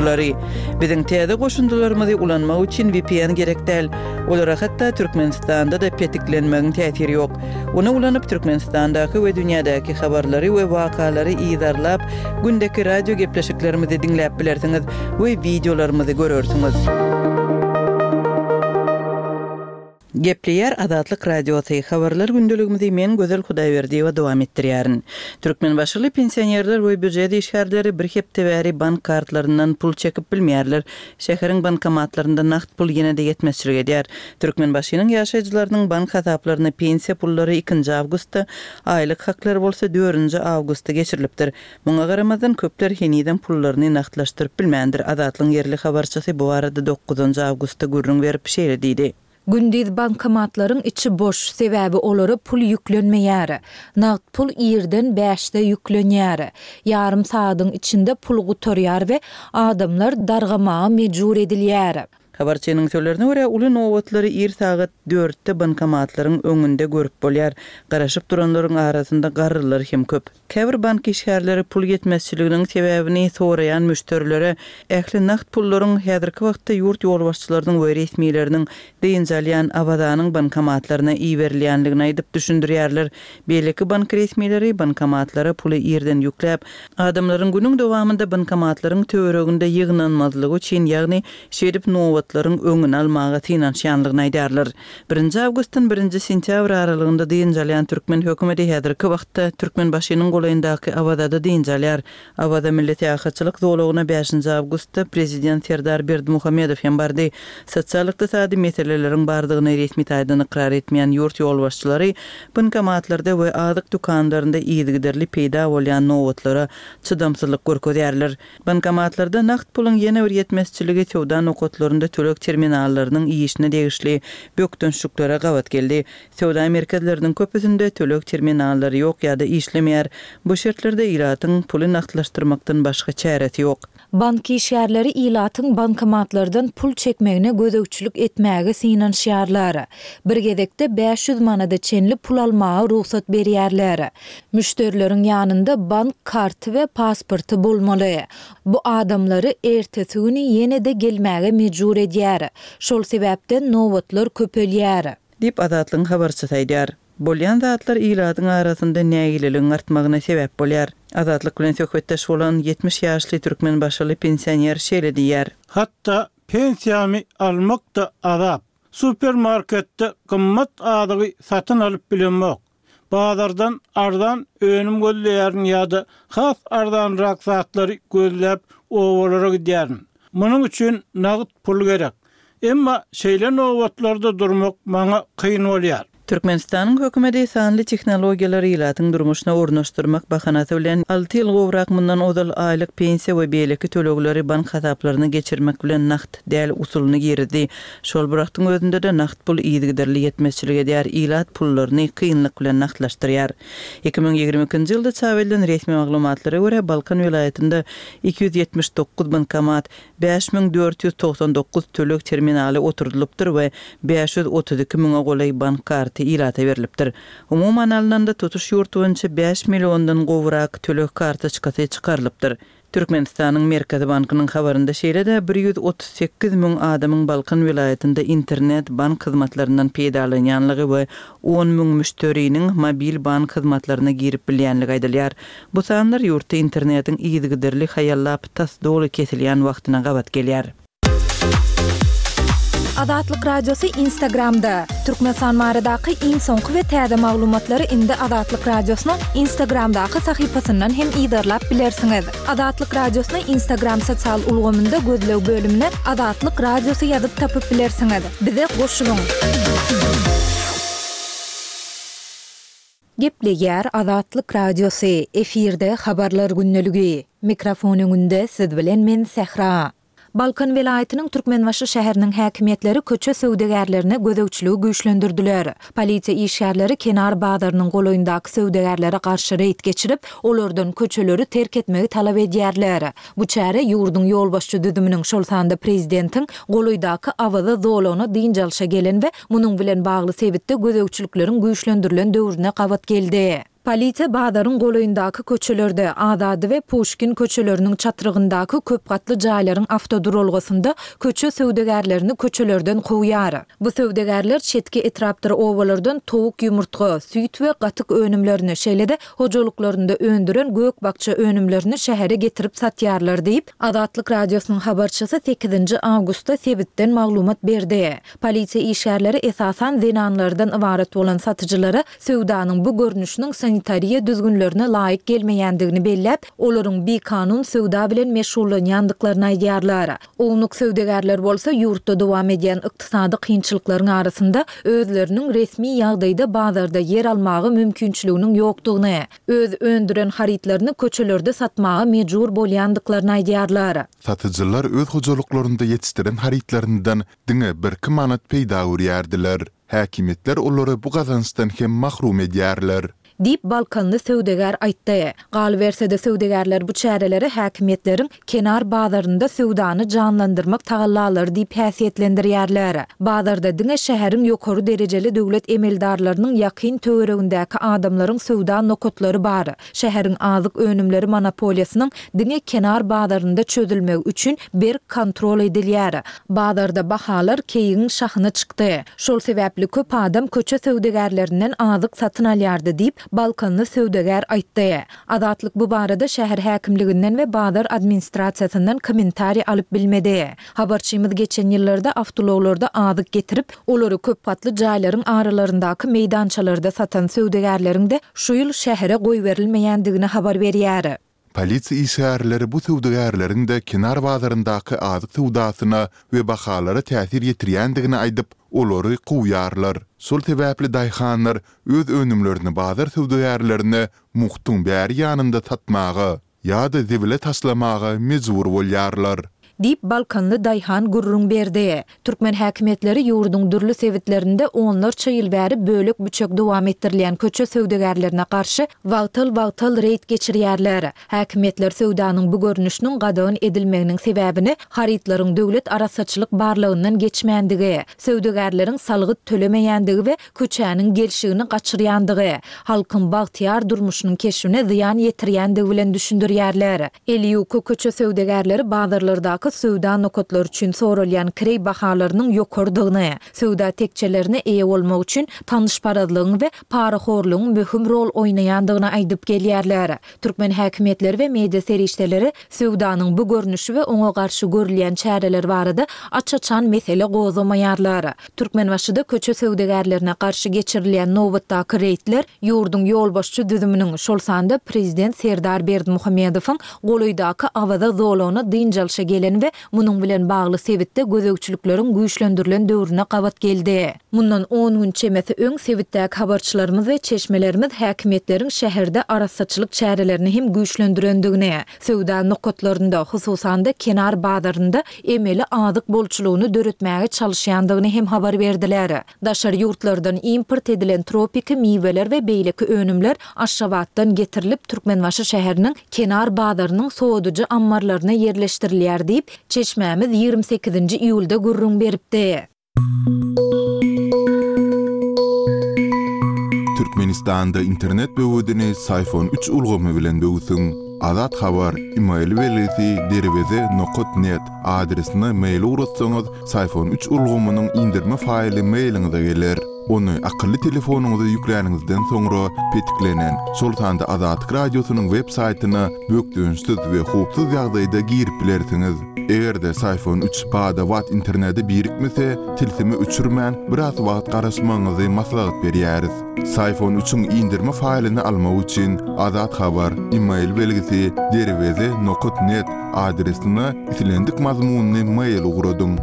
goşundylary. Biziň täze goşundylarymyzy ulanmak üçin vpn gerek däl. Olara hatda Türkmenistanda-da petiklenmegiň täsiri ýok. Ony ulanyp Türkmenistandaky we dünýädäki habarlary we wakalary yzarlap, gündeki radio gepleşiklerimizi diňläp bilersiňiz we wideolarymyzy görersiňiz. Gepleýär Azatlyk Radiosy, Habarlar gündeligimizi men Gözel Hudaýberdiýewa dowam etdirýärin. Türkmenbaşyly pensionerler we býujet işgärleri bir hepde bäri bank kartlaryndan pul çekip bilmeýärler. Şäheriň bankomatlarynda nagt pul ýene-de ýetmezçilik edýär. Türkmenbaşynyň ýaşaýjylarynyň bank hasaplaryna pensiýa pullary ikinji awgustda, aýlyk haklary bolsa dördünji awgustda geçirilipdir. Muňa garamazdan, köpler henizem pullaryny nagtlaşdyryp bilmändir. Azatlygyň ýerli habarçysy bu barada dokuzynjy awgustda gürrüň berip, şeýle diýdi. Gündiz bankomatlaryň içi boş, sebäbi olara pul ýüklenmeýär. Nagt pul irden bäşde ýüklenýär. Ýarym sagadyň içinde pul gutarýar we adamlar dargamaga mejbur edilýär. Habarçynyň sözlerine görä, uly nobatlary ir sagat dörtde bankomatlaryň öňünde görüp bolýar. Garaşyp duranlaryň arasynda garrylar hem köp. Käbir bank işgärleri pul ýetmezçiliginiň sebäbini soraýan müşderilere ähli nagt pullaryň häzirki wagtda ýurt ýolbaşçylarynyň we resmileriniň dynç alýan Awazanyň bankomatlaryna iberilýändigini aýdyp düşündirýärler. Beýleki bank resmileri bankomatlara puly irden ýükläp, adamlaryň günüň dowamynda bankomatlaryň töwereginde ýygnanmazlygy üçin, ýagny şeýdip nobatlaryň öňüni almaga synanyşýanlygyny aýdýarlar. Birinji awgustdan birinji sentýabr aralygynda dynç alýan türkmen hökümeti häzirki wagtda Türkmenbaşynyň golaýyndaky Awazada dynç alýar. Awaza milli syýahatçylyk zolagyna bäşinji awgustda prezident Serdar Berdimuhamedow hem bardy. Sosial-ykdysady meseleleriň bardygyny resmi taýdan ykrar etmeýän ýurt ýolbaşçylary bankomatlarda we azyk dükanlarynda yzygiderli peýda bolýan nobatlara çydamsyzlyk görkezýärler. Bankomatlarda nagt puluň ýene bir ýetmezçiligi söwda nokatlarynda töleg terminallarynyň işine degişli bökdençliklere gabat geldi. Söwda merkezleriniň köpüsinde töleg terminallary ýok ýa-da işlemeýär. Bu şertlerde ilatyň puly nagtlaşdyrmakdan başga çäresi ýok. Bank işgärleri ilatyň bankomatlardan pul çekmegine gözegçilik etmäge synanyşýarlar. Bir gezekde 500 manada çenli pul almaga rugsat berýärler. Müşderileriň ýanynda bank karty we pasporty bolmaly. Bu adamlary ertesi güni ýene-de gelmäge mejbur edýär. Şol sebäpden nobatlar köpelýär. Diýip, Azatlygyň habarçysy aýdýar. Bolýan zatlar ilatyň arasynda nägileligiň artmagyna sebäp bolýar. Azatlyk bilen söhbetdeş bolan 70 ýaşly türkmenbaşyly pensioner şeýle diýýär. Hatda pensiýamy almak-da azap. Supermarketde gymmat azygy satyn alyp bilemok. Bazardan arzan önüm gözleýärin ýa-da has arzanrak zatlary gözläp obalara gidýärin. Munuň üçin nagt pul gerek. Emma şeýle nobatlarda durmak maňa kyn bolýar. Türkmenistanyň hökümeti sanly tehnologiýalary ilatyň durmuşyna ornaşdyrmak bahanasy bilen, alty ýyl gowrak mundan ozal aýlyk pensiýa we beýleki tölegleri bank hasaplaryna geçirmek bilen nagt däl usulyny girizdi. Şol bir wagtyň özünde-de nagt pul yzygiderli ýetmezçilik edýär, ilat pullaryny kynlyk bilen nagtlaşdyrýar. 2022-nji ýylda çap edilen resmi maglumatlara görä, Balkan welaýatynda 279 bankomat, 5499 töleg terminaly oturdylypdyr we 532 müňe golaý bank karty ilata berlipdir. Umuman alnanda, tutuş ýurt boýunça bäş milliondan gowrak töleg kartoçkasy çykarylypdyr. Türkmenistanyň Merkezi bankynyň habarynda şeýle-de 138 müň adamyň Balkan welaýatynda internet bank hyzmatlaryndan peýdalanýanlygy we on müň müşderiniň mobil bank hyzmatlaryna girip bilýänligi aýdylýar. Bu sanlar ýurtda internetiň yzygiderli haýallap, tas doly kesilýän wagtyna gabat gelýär. Azatlyk Radiosy Instagramda, Türkmenistan baradaky iň soňky we täze maglumatlary indi Azatlyk Radiosynyň Instagramdaky sahypasyndan hem yzarlap bilersiňiz. Azatlyk Radiosyny Instagram sosial ulgamynda gözleg bölümine Azatlyk Radiosy ýazyp tapyp bilersiňiz. Bize goşulyň! Gepleýär Azatlyk Radiosy, efirde Habarlar gündeligi. Mikrofon öňünde siz bilen men Sähra. Balkan welaýatynyň Türkmenbaşy şäheriniň häkimiýetleri köçe söwdagärlerine gözegçiligi güýçlendirdiler. Polisiýa işgärleri Kenar bazarynyň golaýyndaky söwdagärlere garşy reýd geçirip, olardan köçeleri terk etmegi talap edýärler. Bu çäre ýurduň ýolbaşçy düzüminiň, şol sanda prezidentiň golaýdaky Awaza zolagyna dynç alşa gelen we munuň bilen bagly sebitde gözegçilikleriň güýçlendirilen döwrüne gabat geldi. Polisiýa bazaryň golaýyndaky köçelerde, Azady we Puşkin köçeleriniň çatrygyndaky köp gatly jaýlaryň awtoduralgasynda köçe söwdagärlerini köçelerden kowýar. Bu söwdagärler çetki etrapdyr obalardan towuk ýumurtga, süýt we gatyk önümlerini, şeýle-de hojalyklarynda öndüren gök-bakja önümlerini şähere getirip satýarlar diýip, Azatlyk Radiosynyň habarçysy sekizinji awgustda sebitden maglumat berdi. Polisiýa işgärleri esasan zenanlardan ybarat bolan satyjylara söwdanyň bu görnüşiniň sanitariýa düzgünlerine laýyk gelmeýändigini belläp, olaryň bikanun söwda bilen meşgullanýandyklaryny aýdýarlar. Ownuk söwdagärler bolsa ýurtda dowam edýän ykdysady kynçylyklaryň arasynda özleriniň resmi ýagdaýda bazarda ýer almaga mümkinçiliginiň ýokdugyny, öz öndüren harytlaryny köçelerde satmaga mejbur bolýandyklaryny aýdýarlar. Satyjylar öz hojalyklarynda ýetişdiren harytlaryndan diňe birki manat peýda görýärdiler. Häkimiýetler olary bu gazançdan hem mahrum edýärler. Diýip, balkanly söwdagär aýtdy. Galyberse-de, söwdagärler bu çäreleri häkimiýetleriň Kenar bazarynda söwdany janlandyrmak tagallalary diýip häsiýetlendirýärler. Bazarda diňe şäheriň ýokary derejeli döwlet emeldarlarynyň ýakyn töweregindäki adamlaryň söwda nokatlary bar. Şäheriň azyk önümleri monopoliýasynyň diňe Kenar bazarynda çözülmegi üçin berk kontrol edilýär. Bazarda bahalar keýigiň şahyna çykdy. Şol sebäpli köp adam köçe söwdagärlerinden azyk satyn alýardy diýip, balkanly söwdagär aýtdy. Azatlyk bu barada şäher häkimliginden we bazar administrasiýasyndan kommentariý alyp bilmedi. Habarçymyz geçen ýyllarda awtoulaglarda azyk getirip, olary köpgatly jaýlaryň aralaryndaky meýdançalarda satan söwdagärleriň-de şu ýyl şähere goýberilmeýändigini habar berýär. Polisiýa işgärleri bu söwdagärleriň-de Kenar bazaryndaky azyk söwdasyna we bahalara täsir ýetirýändigini aýdyp, olary kowýarlar. Şol sebäpli daýhanlar öz önümlerini bazar söwdagärlerine mugtuň bäri ýanynda satmaga ýa-da zibile taşlamaga mejbur bolýarlar. Diýip, balkanly daýhan gürrüň berdi. Türkmen häkimiýetleri ýurduň dürli sebitlerinde onlarça ýyl bäri bölek-büçek dowam etdirilýän köçe söwdagärlerine garşy wagtal-wagtal reýd geçirýärler. Häkimiýetler söwdanyň bu görnüşiniň gadagan edilmeginiň sebäbini harytlaryň döwlet arassaçylyk barlagyndan geçmändigi, söwdagärleriň salgyt tölemeýändigi we köçäniň gelşigini gaçyrýandygy, halkyň bagtyýar durmuşynyň keşbine zyýan ýetirýändigi bilen düşündirýärler. Eli ýuka köçe söwdagärleri bazarlardaky söwda nokatlary üçin soralýan kireý bahalarynyň ýokarydygyny, söwda tekjelerine eýe bolmak üçin tanyşparazlygyň we parahorlugyň möhüm rol oýnaýandygyny aýdyp gelýärler. Türkmen häkimiýetleri we media serişdeleri söwdanyň bu görnüşi we oňa garşy görülýän çäreler barada aç-açan mesele gozgamaýarlar. Türkmenbaşyda köçe söwdagärlerine garşy geçirilýän nobatdaky reýdler ýurduň ýolbaşçy düzüminiň, şol sanda prezident Serdar Berdimuhamedowyň golaýdaky Awaza zolagyna dynç alşa gelen we munuň bilen bagly sebitde gözegçilikleriň güýçlendirilen döwrüne gabat geldi. Mundan on gün çemesi öň sebitdäki habarçylarymyz we çeşmelerimiz häkimiýetleriň şäherde arassaçylyk çärelerini hem güýçlendirendigini, Söwda nokatlarynda, hususan-da, Kenar bazarynda emeli azyk bolçulygyny döretmäge çalyşýandygyny hem habar berdiler. Daşary ýurtlardan import edilen tropiki miweler we beýleki önümler Aşgabatdan getirilip, Türkmenbaşy şäheriniň Kenar bazarynyň sowadyjy ammarlaryna ýerleşdirilýär diýip, çeşmämiz 28-nji iýulda gürrüň beripdi. Türkmenistanda internet böwedini Syfon üç ulgamy bilen böwsüň. Azat Habar, email belgisi derweze nokat net adresine mail ugratsaňyz Syfon üç ulgamynyň indirme faýly mailiňize geler. Ony akylly telefonyňyza ýükläniňizden soňra petiklenen, şol sanda Azatlyk Radiosynyň web saýtyna bökdençsiz we howpsuz ýagdaýda girip bilersiňiz. Eger-de Syfon üç bada-bat internete birikmese, tilsimi öçürmän, biraz wagt garaşmagyňyzy maslahat berýäris. Syfon üçiň indirme faýlyny almak üçin Azat Habar, email belgisi, derweze nokat net adresine islendik mazmunly mail ugradyň.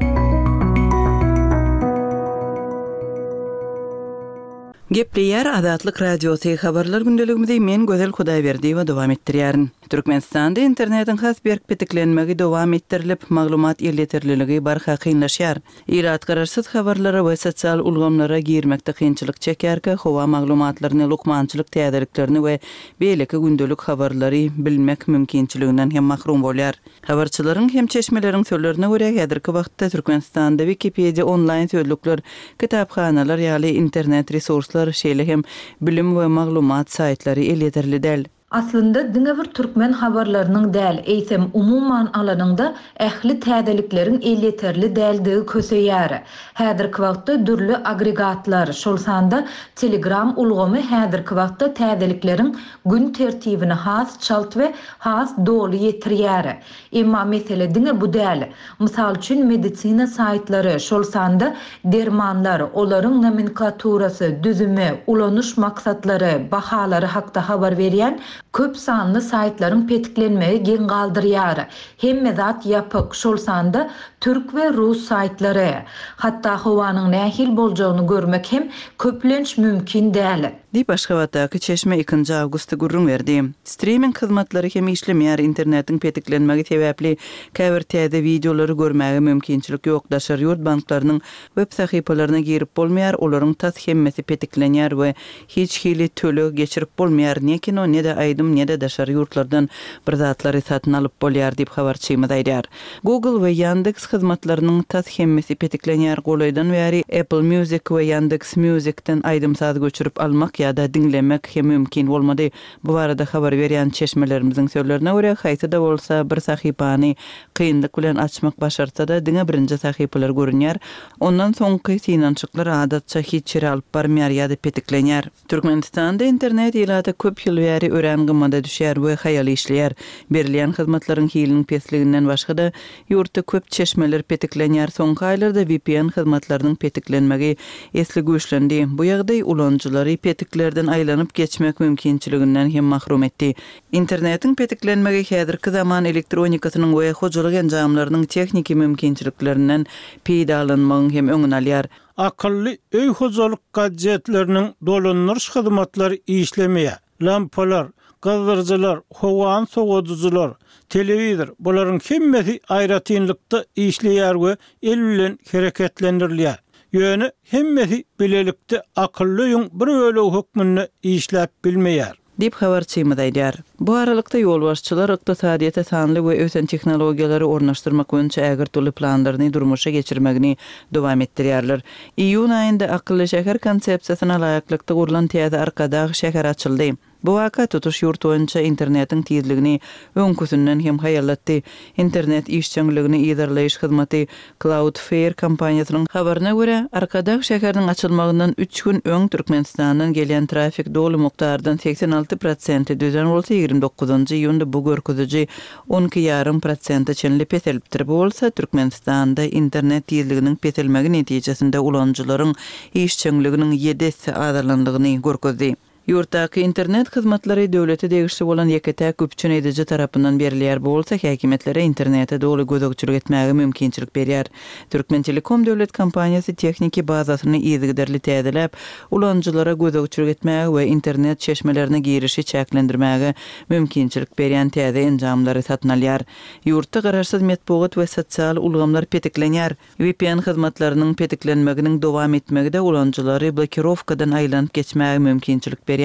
Gepleýär Azatlyk Radiosy, Habarlar gündeligimizi men Gözel Hudaýberdiýewa dowam etdirýärin. Türkmenistanda internetiň has berk petiklenmegi dowam etdirilip, maglumat elýeterliligi barha kynlaşýar. Ilat garaşsyz habarlara we sosial ulgamlara girmekde kynçylyk çekýärkä, howa maglumatlaryny, lukmançylyk täzeliklerini we beýleki gündelik habarlary bilmek mümkinçiliginden hem mahrum bolýar. Habarçylaryň hem çeşmeleriň sözlerine görä, häzirki wagtda Türkmenistanda Wikipediýa onlaýn sözlükler, kitaphanalar ýaly internet resurslary. hyzmatlar, şeýle hem bilim we maglumat saýtlary elýeterli däl. Aslynda diňe bir türkmen habarlarynyň däl, eýsem umuman alanyňda ähli täzelikleriň elýeterli däldigi köseýär. Häzirki wagtda dürli agregatlar, şol sanda Telegram ulgamy häzirki wagtda täzelikleriň gün tertibini has çalt we has doly ýetirýär. Emma mesele diňe bu däl. Mysal üçin, medisina saýtlary, şol sanda dermanlar, olaryň nomenklaturasy, düzümi, ulanyş maksatlary, bahalary hakda habar berýän köp sanly saýtlaryň petiklenmegi geň galdyrýar. Hemme zat ýapyk, şol sanda türk we rus saýtlary. Hatda howanyň nähili boljagyny görmek hem köplenç mümkin däl. Diýip, Aşgabatdaky çeşme ikinji awgustda gürrüň berdi. Striming hyzmatlary hem işlemeýär, internetiň petiklenmegi sebäpli käbir täze wideolary görmäge mümkinçilik ýok, daşary ýurt banklarynyň web sahypalaryna girip bolmaýar, olaryň tas hemmesi petiklenýär we hiç hili töleg geçirip bolmaýar, ne kino, ne-de aýdym, ne-de daşary ýurtlardan bir zatlary satyn alyp bolýar diýip, habarçymyz aýdýar. Google we Yandex hyzmatlarynyň tas hemmesi petiklenýär. Golaýdan bäri Apple Music we Yandex Music-den aýdym-saz göçürip almak ýa-da diňlemek hem mümkin bolmady. Bu barada habar berýän çeşmelerimiziň sözlerine görä, haýsy-da bolsa bir sahypany kynlyk bilen açmak başartsa-da, diňe birinji sahypalar görünýär, ondan soňky synanyşyklar adatça hiç ýere alyp barmaýar ýa-da petiklenýär. Türkmenistanda internet ilata köp ýyl bäri örän gymmada düşýär we haýal işleýär. Berilýän hyzmatlaryň hiliniň pesliginden başga-da, ýurtda köp çeşmeler petiklenýär. Soňky aýlarda VPN hyzmatlarynyň petiklenmegi esli güýçlendi. Bu ýagdaý ulanyjylary petiklerden aýlanyp geçmek mümkinçiliginden hem mahrum etdi. Internetiň petiklenmegi häzirki zaman elektronikasynyň we hojalyk enjamlarynyň tehniki mümkinçiliklerinden peýdalanmagyň hem öňüni alýar. Akylly öý hojalyk gadjetleriniň dolandyryş hyzmatlary işlemeýär. Lampalar, gyzdyryjylar, howany sowadyjylar, telewizor, bularyň hemmesi aýratynlykda işleýär we el bilen hereketlendirilýär. Ýöne hemmesi bilelikde akylly öýüň bir bölegi hökmünde işläp bilmeýär. Diýip, habarçymyz aýdýar. Bu aralykda, ýolbaşçylar ykdysadyýete sanly we ösen tehnologiýalary ornaşdyrmak boýunça ägirt uly planlaryny durmuşa geçirmegini dowam etdirýärler. Iýun aýynda akylly şäher konsepsiýasyna laýyklykda gurlan täze Arkadag şäheri açyldy. Bu waka tutuş ýurt boýunça internetiň tizligini öňküsinden hem haýallatdy. Internet işjeňligini yzarlaýyş hyzmaty Cloudflare kompaniýasynyň habaryna görä, Arkadag şäheriniň açylmagyndan üç gün öň Türkmenistandan gelýän trafik doly mukdardan 86 prosenti düzen bolsa, 29-njy iýunda bu görkeziji on iki ýarym prosente çenli peselipdir. Bu bolsa Türkmenistanda internet tizliginiň peselmegi netijesinde ulanyjylaryň işjeňliginiň ýedi esse azalandygyny görkezdi. Ýurtdaky internet hyzmatlary döwlete degişli bolan ýeke-täk üpjün ediji tarapyndan berilýär, bu bolsa häkimiýetlere internete doly gözegçilik etmäge mümkinçilik berýär. Türkmentelekom döwlet kompaniýasy tehniki bazasyny yzygiderli täzeläp, ulanyjylara gözegçilik etmäge we internet çeşmelerine girişi çäklendirmäge mümkinçilik berýän täze enjamlary satyn alýar. Ýurtda garaşsyz metbugat we sosial ulgamlar petiklenýär. VPN hyzmatlarynyň petiklenmeginiň dowam etmegi-de ulanyjylary blokirowkadan aýlanyp geçmäge mümkinçilik berýän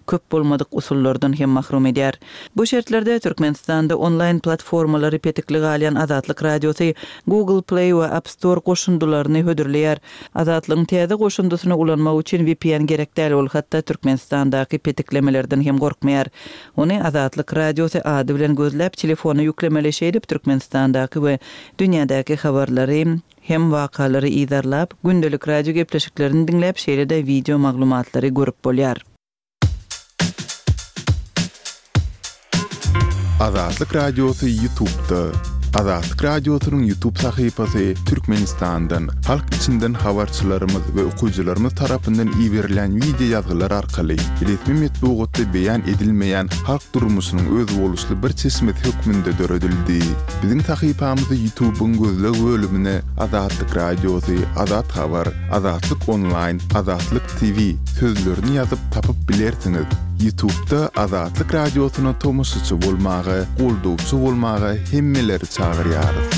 köp bolmadyk usullardan hem mahrum edýär. Bu şertlerde Türkmenistanda onlaýn platformalary petikli galýan Azatlyk Radiosy Google Play we App Store goşundylaryny hödürleýär. Azatlygyň täze goşundysyny ulanmak üçin VPN gerek däl, ol hatda Türkmenistandaky petiklemelerden hem gorkmaýar. Ony Azatlyk Radiosy ady bilen gözläp, telefona ýüklemeli, şeýdip Türkmenistandaky we dünýädäki habarlary hem wakalary yzarlap, gündelik radio gepleşiklerini diňläp, şeýle-de wideo maglumatlary görüp bolýar. Azatlyk Radiosy Ýutubda. Azatlyk Radiosynyň Ýutub sahypasy Türkmenistandan, halk içinden habarçylarymyz we okyjylarymyz tarapyndan iberilýän wideo ýazgylar arkaly resmi metbugatda beýan edilmeýän halk durmuşynyň özboluşly bir çeşmesi hökmünde döredildi. Biziň sahypamyzy Ýutubyň gözleg bölümine Azatlyk Radiosy, Azat Habar, Azatlyk Onlaýn, Azatlyk TV sözlerini ýazyp tapyp bilersiňiz. Ýutubda Azatlyk Radiosyna tomaşaçy bolmaga, goldawçy bolmaga hemmeleri çagyrýarys.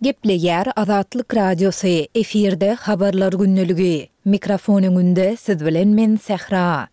Gepleýär Azatlyk Radiosy, efirde Habarlar gündeligi. Mikrofon öňünde siz bilen men Sähra.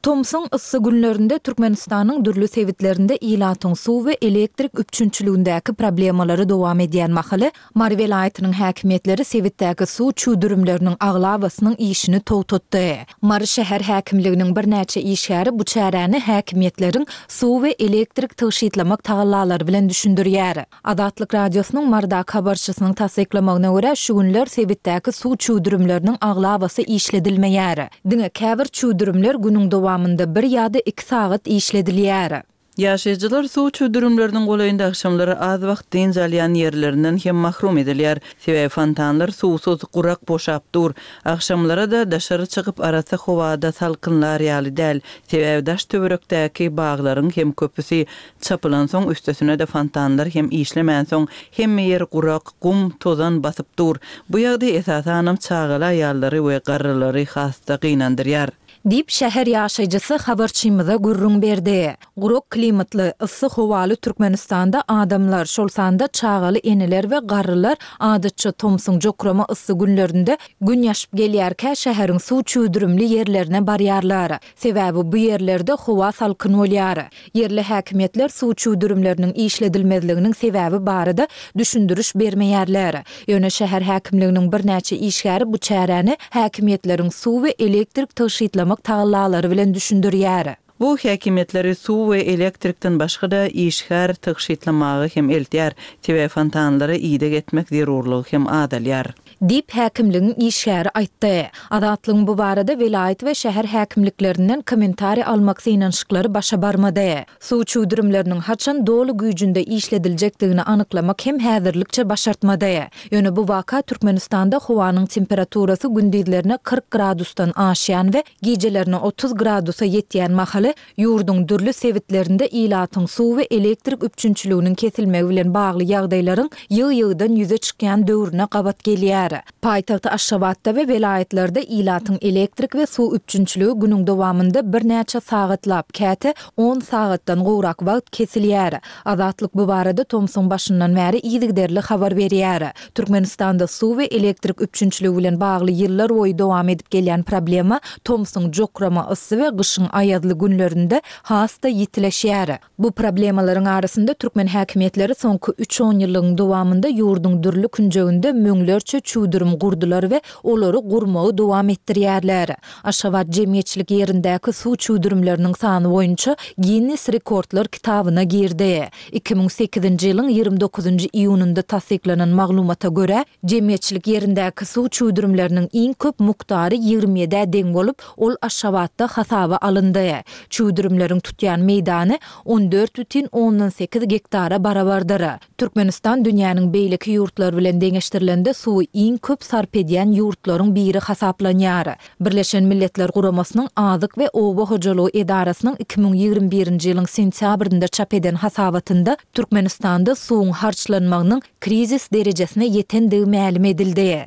Tomsuň yssy günlerinde Türkmenistanyň dürli sebitlerinde ilatyň suw we elektrik üpjünçiligindäki problemalary dowam edýän mahaly, Mary welaýatynyň häkimiýetleri sebitdäki suw çüwdürimleriniň aglabasynyň işini togtatdy. Mary şäher häkimliginiň birnäçe işgäri bu çäräni häkimiýetleriň suw we elektrik tygşytlamak tagallalary bilen düşündirýär. Azatlyk Radiosynyň Marydaky habarçysynyň tassyklamagyna görä, şu günler sebitdäki suw çüwdürimleriniň aglabasy işledilmeýär. Diňe käbir çüwdürimler günüň dowamynda bir ýa-da iki sagat işledilýär. Ýaşaýjylar suw çüwdürimleriniň golaýynda agşamlary az wagt dynç alýan ýerlerinden hem mahrum edilýär. Sebäbi fontanlar suwsuz, gurak boşap dur. Agşamlara-da daşary çykyp arassa howada salkynlar ýaly däl. Sebäbi daş-töwerekdäki baglaryň hem köpüsi çapylansoň, üstesine-de fontanlar hem işlemänsoň, hemme ýer gurak, gum, tozan basyp dur. Bu ýagdaý esasanam çagaly aýallary we garrylary has-da gynandyrýar. Diýip, şäher ýaşaýjysy habarçymyza gürrüň berdi. Gurak klimatly, yssy howaly Türkmenistanda adamlar, şol sanda çagaly eneler we garrylar adatça tomsuň jokrama yssy günlerinde Gün ýaşyp gelýärkä şäheriň suw çüwdürimli ýerlerine barýarlar. Sebäbi bu ýerlerde howa salkyn bolýar. Ýerli häkimiýetler suw çüwdürimleriniň işledilmezliginiň sebäbi barada düşündiriş bermeýärler. Ýöne şäher häkimliginiň birnäçe işgäri bu çäräni häkimiýetleriň suw we elektrik tygşytlamak tagallalary bilen düşündirýär. Bu häkimiýetleri suw we elektrikden başga-da işgär tygşytlamaga hem eltýär, sebäbi fontanlara ideg etmek zerurlygy hem azalýar. Diýip, häkimligiň işgäri aýtdy. Azatlygyň bu barada welaýat we şäher häkimliklerinden kommentariý almak synanyşyklary başa barmady. Suw çüwdürimleriniň haçan doly güýjünde işlediljekdigini anyklamak hem häzirlikçe başartmady. Ýöne bu waka Türkmenistanda howanyň temperaturasy gündizlerine 40 gradusdan aşýan we gijelerine 30 gradusa ýetýän mahaly ýurduň dürli sebitlerinde ilatyň suw we elektrik üpjünçiliginiň kesilmegi bilen bagly ýagdaýlaryň ýygy-ýygydan ýüze çykýan döwrüne gabat gelýär. Paýtagt Aşgabatda we welaýatlarda ilatyň elektrik we suw üpjünçiligi günüň dowamynda birnäçe sagatlap, käte on sagatdan gowrak wagt kesilýär. Azatlyk bu barada tomsuň başyndan bäri yzygiderli habar berýär. Türkmenistanda suw we elektrik üpjünçiligi bilen bagly ýyllar boýy dowam edip gelýän problema tomsuň jokrama yssy we gyşyň aýazly günlerinde has-da ýitileşýär. Bu problemalaryň arasynda türkmen häkimiýetleri soňky üç onýyllygyň dowamynda ýurduň dürli künjeginde müňlerçe çüwdürim gurdular we olary gurmagy dowam etdirýärler. Aşgabat jemgyýetçilik ýerindäki suw çüwdürimleriniň sany boýunça Ginnes rekordlar kitabyna girdi. 2008-nji ýylyň 29-njy iýunynda tassyklanan maglumata görä, jemgyýetçilik ýerindäki suw çüwdürimleriniň iň köp mukdary 27-ä deň bolup, ol Aşgabatda hasaba alyndy. Çüwdürimleriň tutýan meýdany 14,8 gektara barabardyr. Türkmenistan dünýäniň beýleki ýurtlary bilen deňeşdirilende suwy iň köp sarp edýän ýurtlaryň biri hasaplanýar. Birleşen Milletler Guramasynyň Azyk we oba hojalygy edarasynyň 2021-nji ýylyň sentýabrynda çap eden hasabatynda Türkmenistanda suwuň harçlanmagynyň krizis derejesine ýetendigi mälim edildi.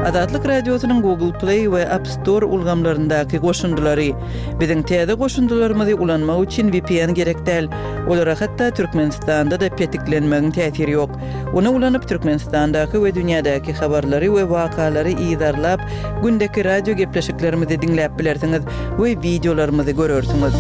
Azatlyk Radiosynyň Google Play we App Store ulgamlaryndaky goşundylary. Biziň täze goşundylarymyzy ulanmak üçin VPN gerek däl. Olara hatda Türkmenistanda-da petiklenmegiň täsiri ýok. Ony ulanyp Türkmenistandaky we dünýädäki habarlary we wakalary yzarlap, gündeki radio gepleşiklerimizi diňläp bilersiňiz we wideolarymyzy görersiňiz.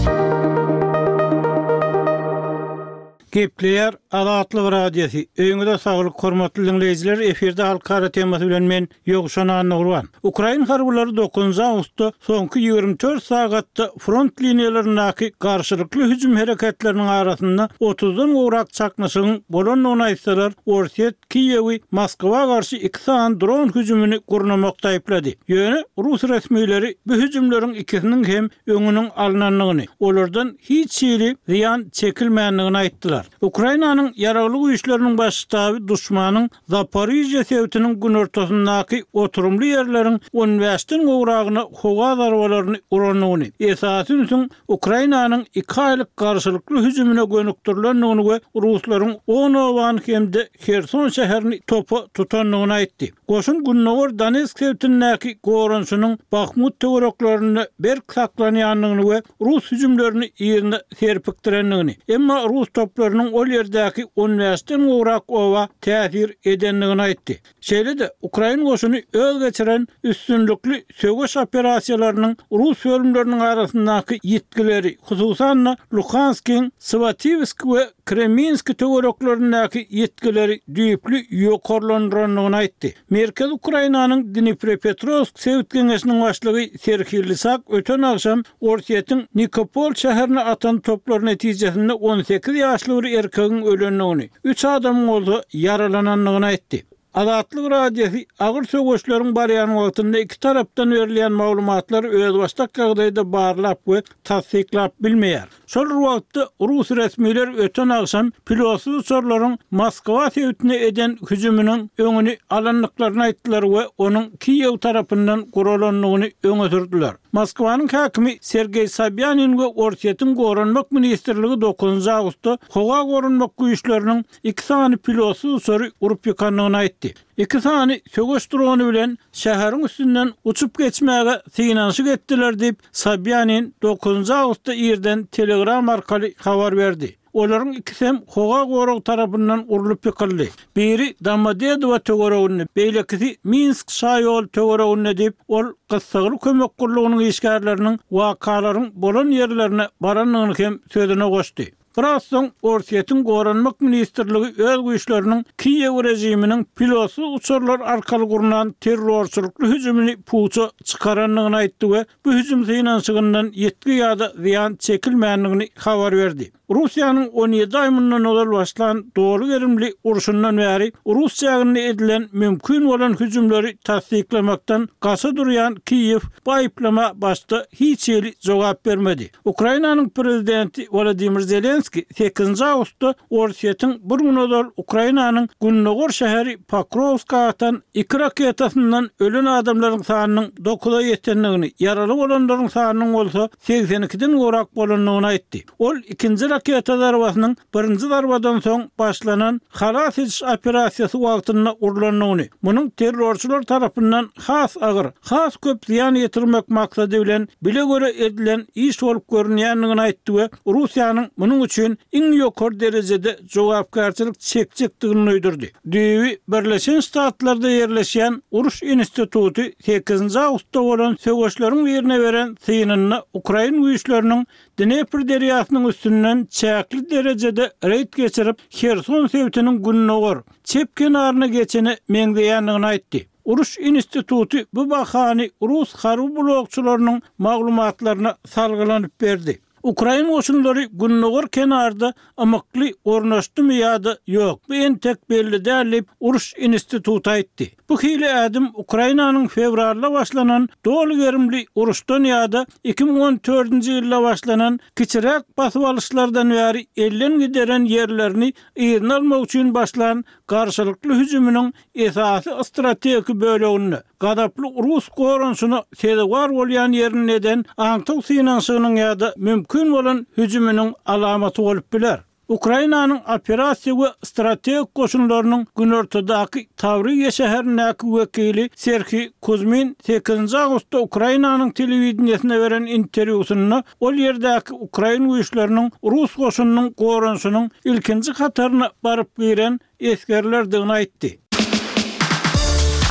Gepleýär Azatlyk Radiosy, Öýüňize saglyk hormatly diňleýjiler, efirde Halkara temasy bilen men Ýowşan Annagurban. Ukrain harbylary dokuzynjy awgustda soňky 24 sagatda front liniýalaryndaky garşylykly hüjüm hereketleriniň arasynda otuzdan gowrak çaknyşygyň bolandygyny aýtsalar, Orsýet Kiýewi Moskwa garşy iki sany dron hüjümini gurnamakda aýyplady. Ýöne rus resmileri bu hüjümleriň ikisiniň hem öňüniň alnandygyny, olardan hiç hili zyýan çekilmändigini aýtdylar. Ukrainanyň Ýaragly Güýçleriniň Baş ştaby duşmanyň Zaporižýa sebitiniň günortasyndaky oturymly ýerleriň on bäşden gowragyna howa zarbalaryny urandygyny, esasy ünsüň Ukrainanyň iki aýlyk garşylykly hüjümine gönükdirilendigini we ruslaryň on obany hem-de Herson şäherini topa tutandygyny aýtdy. Goşun gündogar Donetsk sebitindäki goranyşynyň Bahmut töwereklerinde berk saklanýandygyny we rus hüjümlerini yzyna serpikdirendigini, emma rus toplarynyň. güýçleriniň ol ýerdäki on bäşden gowrak oba täsir edendigini aýtdy. Şeýle-de, ukrain goşuny öz geçiren üstünlikli söweş operasiýalarynyň rus bölümleriniň arasyndaky ýitgileri, hususan-da, Luhanskiň Swatiwsk we Kreminski töwereklerindäki ýitgileri düýpli ýokarlandyrandygyny aýtdy. Merkezi Ukrainanyň Dniprepetrowsk sebit geňeşiniň başlygy Serhiý Lysak öten agşam Orsýetiň Nikopol şäherine atan toplary netijesinde 18 ýaşly bir erkegiň ölendigini, üç adamyň bolsa ýaralanandygyny aýtdy. Azatlyk Radiosy agyr söweşleriň barýan wagtynda iki tarapdan berilýän maglumatlary özbaşdak ýagdaýda barlap we tassyklap bilmeýär. Şol bir wagtda, rus resmiler öten agşam pilotsyz uçarlaryň Moskwa sebitine eden hüjüminiň öňüni alandyklaryny aýtdylar we onuň Kiýew tarapyndan guralandygyny öňe sürdüler. Moskwanyň häkimi Sergeý Sobýanin we Orsýetiň Goranmak ministrligi dokuzynjy awgustda howa goranmak güýçleriniň iki sany pilotsyz uçary urup ýykandygyny aýtdy. Iki sany söweş drony bilen şäheriň üstünden uçup geçmäge synanyşyk etdiler diýip, Sobýanin dokuzynjy awgustda irden Telegram arkaly habar berdi. Olaryň ikisem howa goragy tarapyndan urlup ýykyldy. Biri Domodedowo töwereginde, beýlekisi Minsk şaýoly töwereginde diýip, ol gyssagly kömek gullugynyň işgärleriniň wakalaryň bolan ýerlerine barandygyny hem sözüne goşdy. Biraz soň Orsýetiň Goranmak ministrligi öz güýçleriniň Kiýew režiminiň pilotsyz uçarlar arkaly gurnan terrorçylykly hüjümini puja çykarandygyny aýtdy we bu hüjüm synanyşygyndan ýitgi ýa-da zyýan çekilmändigini habar berdi. Russiýanyň 17 aý mundan ozal başlan doly gerimli urşundan bäri rus çäginde edilen mümkin bolan hüjümleri tassyklamakdan gaça durýan Kiýew bu aýyplama başda hiç hili jogap bermedi. Ukrainanyň prezidenti Wolodymyr Zelenskiý sekizinji awgustda Orsýetiň bir gün ozal Ukrainanyň gündogar şäheri Pokrowska atan iki raketasyndan ölen adamlaryň sanynyň dokuza ýetendigini, ýaraly bolanlaryň sanynyň bolsa 82-den gowrak bolandygyny aýtdy. Ol ikinji raketa zarbasynyň birinji zarbadan soň başlanan halas ediş operasiýasy wagtynda urlandygyny, munuň terrorçylar tarapyndan has agyr, has köp zyýan ýetirmek maksady bilen bile-göre edilen iş bolup görünýändigini aýtdy we Russiýanyň munuň üçin iň ýokary derejede jogapkärçilik çekjekdigini duýdurdy. Düýbi Birleşen Ştatlarda ýerleşýän Uruş instituty sekizinji awgustda bolan söweşleriň birine beren synynda ukrain güýçleriniň Dnepr derýasynyň üstünden çäkli derejede reýd geçirip, Herson sebitiniň gündogar, çep kenaryna geçene meňzeýändigini aýtdy. Uruş instituty bu bahany rus harby blogçylarynyň maglumatlaryna salgylanyp berdi. Ukrain goşunlary gündogar kenarda ymykly ornaşdymy ýa-da ýok, bu entek belli däl diýip, Uruş instituty aýtdy. Bu hili ädim Ukrainanyň fewralda başlanan doly gerimli uruşdan ýa-da 2014-nji ýylda başlanan kiçiräk basyp alyşlardan bäri elden gideren ýerlerini yzyna almak üçin başlan garşylykly hüjüminiň esasy strategik böleginde, gazaply rus goranyşyna sezewar bolýan ýerinde eden aňtaw synanyşygynyň ýa-da mümkin bolan hüjüminiň alamaty bolup biler. Ukrainanyň operasiýa we strategik goşunlarynyň günortadaky Tawriýa şäherindäki wekili Serhiý Kuzmin sekizinji awgustda Ukrainanyň telewideniýesine beren interwýusynda ol ýerdäki ukrain güýçleriniň rus goşunynyň goranyşynyň ilkinji hataryna baryp giren esgerlerdigini aýtdy.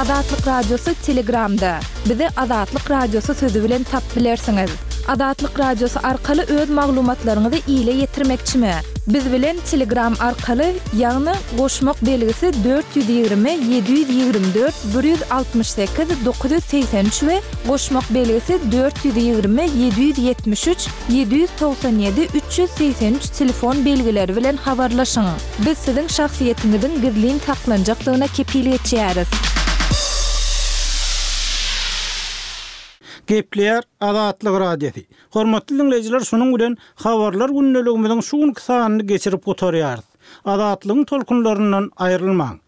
Azatlyk Radiosy Telegramda. Bizi Azatlyk Radiosy sözi bilen tap bilersiňiz. Azatlyk Radiosy arkaly öz maglumatlaryňyzy ile ýetirmekçimi? Biz bilen Telegram arkaly, ýagny goşmak belgisi 420 724 168 983 we goşmak belgisi 420 773 797 383 telefon belgileri bilen habarlaşyň. Biz siziň şahsyýetiňiziň gizlin saklanjakdygyna kepil geçýäris. Gepleýär Azatlyk Radiosy. Hormatly diňleýjiler şunuň bilen Habarlar gündeligimiziň şu günki sanyny geçirip gutarýarys. Azatlygyň tolkunlaryndan aýrylmaň.